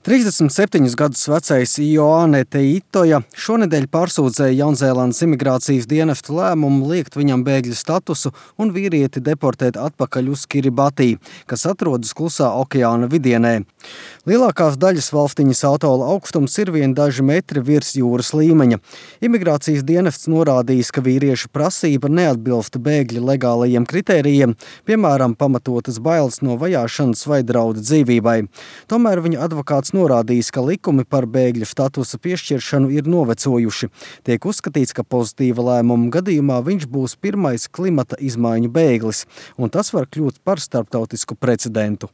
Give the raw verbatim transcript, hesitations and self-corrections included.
trīsdesmit septiņus gadus vecais Ioane Teitoja šonedēļ pārsūdzēja Jaunzēlandes imigrācijas dienesta lēmumu liekt viņam bēgļa statusu un vīrieti deportēt atpakaļ uz Kiribati, kas atrodas Klusā okeāna vidienē. Lielākās daļas valstiņas atola augstums ir vien daži metri virs jūras līmeņa. Imigrācijas dienests norādījis, ka vīrieša prasība neatbilst bēgļa legālajiem kritērijiem, piemēram, pamatotas bailes no vajāšanas vai draudu dzīvībai. Tomēr viņa advokāts norādījis, ka likumi par bēgļa statusa piešķiršanu ir novecojuši. Tiek uzskatīts, ka pozitīva lēmuma gadījumā viņš būs pirmais klimata izmaiņu bēglis, un tas var kļūt par starptautisku precedentu.